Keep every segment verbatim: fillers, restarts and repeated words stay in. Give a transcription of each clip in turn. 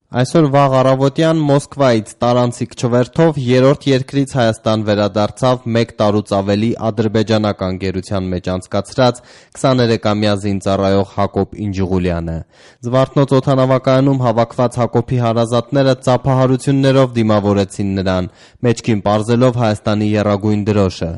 Այսօր վաղ առավոտյան Մոսկվայից տարանցիկ չվերթով երրորդ երկրից Հայաստան վերադարձավ մեկ տարուց ավելի ադրբեջանական գերության մեջ անցկացրած քսաներեքամյա զինծառայող Հակոբ Ինջուղուլյանը։ Զվարթնոց օդանավակայանում հավաքված Հակոբի հարազատները ծափահարություններով դիմավորեցին նրան, մեջքին պարզելով Հայաստանի եռագույն դրոշը։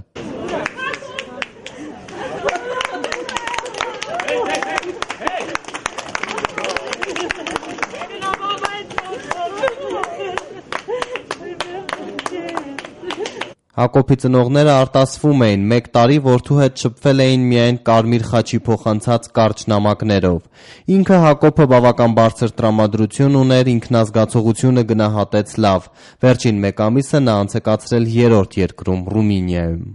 Հակոբի ծնողները արտասվում էին, մեկ տարի որդու հետ շփվել էին միայն կարմիր խաչի փոխանցած կարճ նամակներով։ Ինքը Հակոբը բավական բարձր տրամադրություն ուներ, ինքնազգացողությունը գնահատեց լավ։ Վերջին մեկ ամիսը նա անցկացրել երրորդ երկրում՝ Ռումինիայում։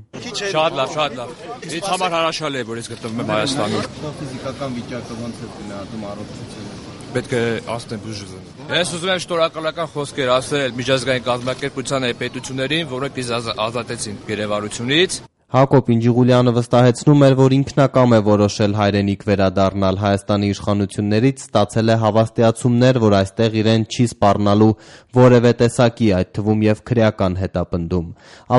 Շատ լավ, շատ լավ։ Ինձ համար հրաշալի է, որ ես գտնվում եմ Հայաստանում։ Ֆիզիկական վիճակը ոնց է գնահատում առողջությունը։ Պետք է ասեմ բուժը։ Ես ուզում եմ շնորհակալական խոսքեր ասել միջազգային կազմակերպության պետություններին, որոնք ինձ ազատեցին գերեվարությունից։ Հակոբ Ինջուղուլյանը վստահեցնում էր, որ ինքնակամ է որոշել հայրենիք վերադառնալ, Հայաստանի իշխանություններից ստացել է հավաստիացումներ, որ այստեղ իրեն չի սպառնալու որևէ տեսակի, այդ թվում և քրեական հետապնդում։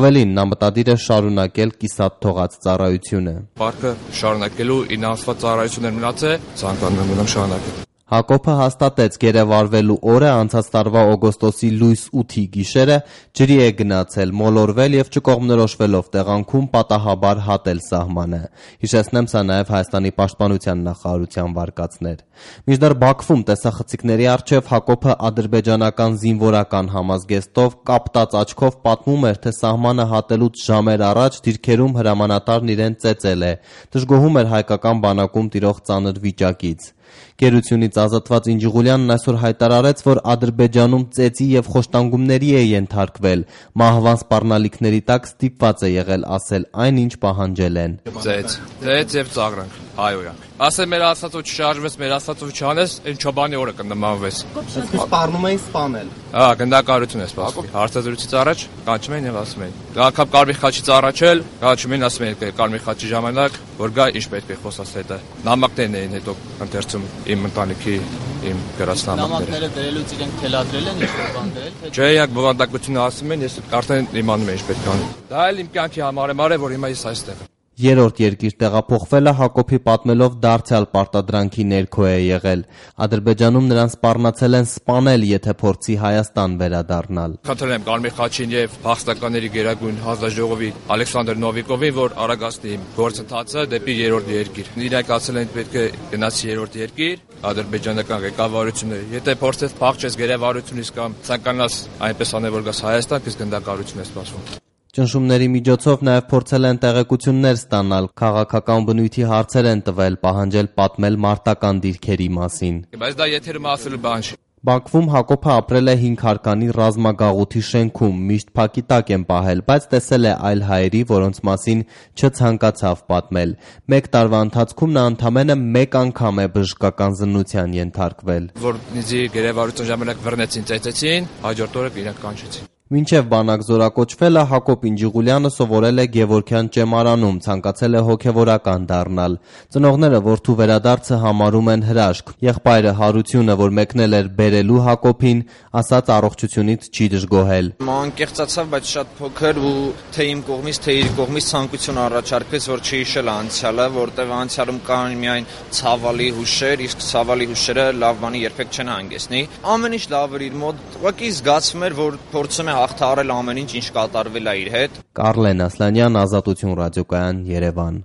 Ավելին, նա մտադիր է շարունակել կիսատ թողած ծառայությունը։ Պարկը շարունակելու ինձ ասված ծառայություններ մնաց է, ցանկանում եմ մնամ շարունակել։ Հակոբը հաստատեց գերեվարվելու օրը անցած տարվա օգոստոսի լույս ութի գիշերը ջրի է գնացել, մոլորվել և չկողմնորոշվելով տեղանքում պատահաբար հատել սահմանը։ Հիշեցնեմ, սա նաև Հայաստանի պաշտպանության նախարարության վարկածներ։ Մինչդեռ Բաքվում տեսախցիկների առջև Հակոբը ադրբեջանական զինվորական համազգեստով կապտած աչքով պատմում էր, թե սահմանը հատելուց ժամեր առաջ դիրքերում հրամանատարն իրեն ծեծել է, դժգոհում էր հայկական բանակում տիրող ծանր վիճակից։ Գերությունից ազատված Ինջուղուլյանն այսօր հայտարարեց, որ Ադրբեջանում ծեծի և խոշտանգումների է ենթարկվել, մահվան սպառնալիքների տակ ստիպված է եղել ասել այն, ինչ պահանջել են։ Ծեծ, ծեծ և ծաղրանք, հայոյանք։ Ասել մեր ասածով չշարժվես, մեր ասածով չանես, այն չոբանի օրը կնմանվես։ Այսպես սպառնում էին սպանել։ Հա, գնդակարություն է սպասվում։ Հարցազրույցից առաջ կանչում են եւ ասում են։ Գաղափար կարմիր խաչից առաջ էլ կանչում են, ասում են կարմիր խաչի ժամանակ, որ գա ինչ պետք է խոսած հետը։ Նամակներն էին հետո ընթերցում իմ ընտանիքի, իմ գրասնամակները։ Նամակները դրելուց իրենք թելադրել են ինչ-որ բան դրել, թե չէ, իրանք բովանդակությունը ասում են, ես արդեն իմանում եմ ինչ պետք է անեմ։ Դա էլ իմ կյանքի համար է, որ հիմա ես այստեղ եմ։ Երրորդ երկիր տեղափոխվելը Հակոբի պատմելով դարձյալ պարտադրանքի ներքո է եղել։ Ադրբեջանում նրան սպառնացել են սպանել, եթե փորձի Հայաստան վերադառնալ։ Խնդրել եմ Կարմիր խաչին եւ փախստականների գերագույն հանձնաժողովի Ալեքսանդր Նովիկովին, որ արագացնի իմ գործընթացը դեպի երրորդ երկիր։ Իրանք ասել են պետք է գնացի երրորդ երկիր, ադրբեջանական ղեկավարությունը, եթե փորձես փախչես գերեվարությունից կամ ցանկանաս այնպես անել, որ գաս Հայաստան, քեզ գնդակարություն է սպասվում։ Ճնշումների միջոցով նաև փորձել են տեղեկություններ ստանալ, քաղաքական բնույթի հարցեր են տվել, պահանջել պատմել մարտական դիրքերի մասին։ Բայց դա եթերում ասելու բան չի։ Բաքվում Հակոբը ապրել է հինգ հարկանի ռազմագաղութի շենքում, միշտ փակի տակ են պահել, բայց տեսել է այլ հայերի, որոնց մասին չցանկացավ պատմել։ Մեկ տարվա ընթացքում նա ընդամենը մեկ անգամ է բժշկական զննության ենթարկվել։ Որ ինձ գերեվարության ժամանակ վռնեցին, ծեծեցին, հաջորդ օրը իրենք կանչեցին։ Մինչև բանակ զորակոչվելը Հակոբ Ինջուղուլյանը սովորել է Գևորգյան ճեմարանում, ցանկացել է հոգևորական դառնալ։ Ծնողները որդու վերադարձը համարում են հրաշք։ Եղբայրը Հարությունը, որ մեկնել էր բերելու Հակոբին, ասաց առողջությունից չի դժգոհել։ Անկեղծացավ, բայց շատ փոքր ու թե իմ կողմից, թե իր կողմից ցանկություն առաջարկվեց, որ չհիշել անցյալը, որտեղ անցյալում կան միայն ցավալի հուշեր, իսկ ցավալի հուշերը լավ բանի երբեք չեն հանգեցնի։ Ամեն ինչ լավ էր իր մոտ, ուղղակի զգացվում էր, որ փորձում է հաղթահարել ամեն ինչ, ինչ կատարվել է իր հետ։ Կարլեն Ասլանյան, Ազատություն ռադիոկայան, Երևան։